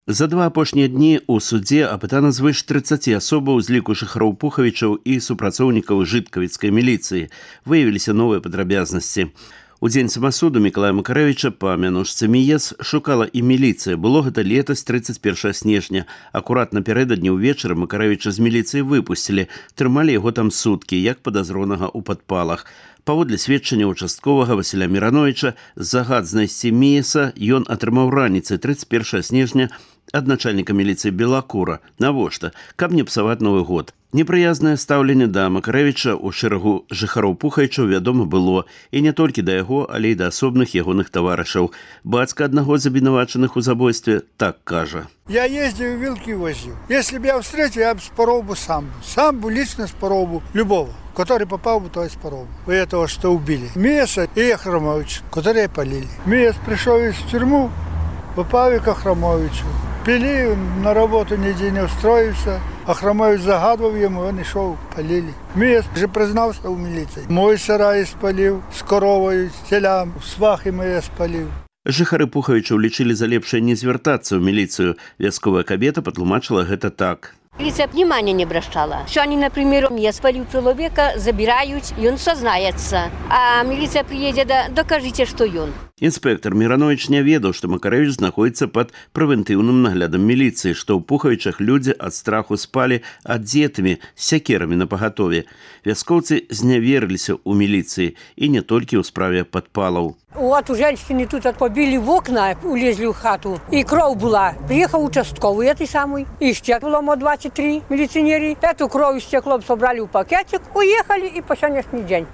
За два апошнія дні ў судзе апытана звыш 30 асобаў з ліку жыхароў Пухавічаў і супрацоўнікаў жыткавіцкай міліцыі. Выявіліся новыя падрабязнасці. У дзень самасуду Мікалая Макарэвіча па мянушцы Міес шукала і міліцыя. Было гэта летась 31 снежня. Акурат напярэдадні ўвечары Макарэвіча з міліцыі выпусцілі. Трымалі яго там суткі, як падазронага ў падпалах. Паводле сведчання участковага Васіля Мірановіча, загад знайсці Міеса ён атрымаў раніцай 31 снежня ад начальніка міліцыі Белакура. Навошта? Каб не псаваць Новы год. Непрыязнае стаўленне да Макарэвіча ў шэрагу жыхароў Пухавічаў вядома было, і не толькі да яго, але і да асобных ягоных таварышаў. Бацька аднаго з абвінавачаных у забойстве так кажа. Я ездил, вилки возил. Если бы я встретил, я бы спорол бы сам. Сам бы лично спорол бы любого, который попал бы, то и спорол бы. У этого, что убили. Миеса и Ахрамовича, которые полили. Миес пришел из тюрьму, попал к Ахрамовичу. Пили, на работу нигде не устроился. Ахрамович загадывал ему, он и шел, полили. Миес же признался у милиции. Мой сарай спалил, с коровой, с телям, свахи мои спалил. Жыхары Пухавічаў лічылі за лепшае не звяртацца ў міліцыю. Вясковая кабета патлумачыла гэта так. Милиция внимания не обращала. Что они, например, я спалил человека, забирают, и он сознается. А милиция приедет, да докажите, что он. Інспектор Міранович не ведаў, што Макарэвіч знаходзіцца пад прэвентыўным наглядам міліцыі, што ў Пухавічах людзі ад страху спалі адзетымі, з сякерамі напагатове. Вяскоўцы зняверыліся ў міліцыі, і не толькі ў справе падпалаў. Вот у женщины тут побили в окна, улезли в хату, и кровь была. Приехал участковый, этой самый, и стекло 23 милиционеры. Эту кровь и стекло собрали в пакетик, уехали и по сегодняшний день.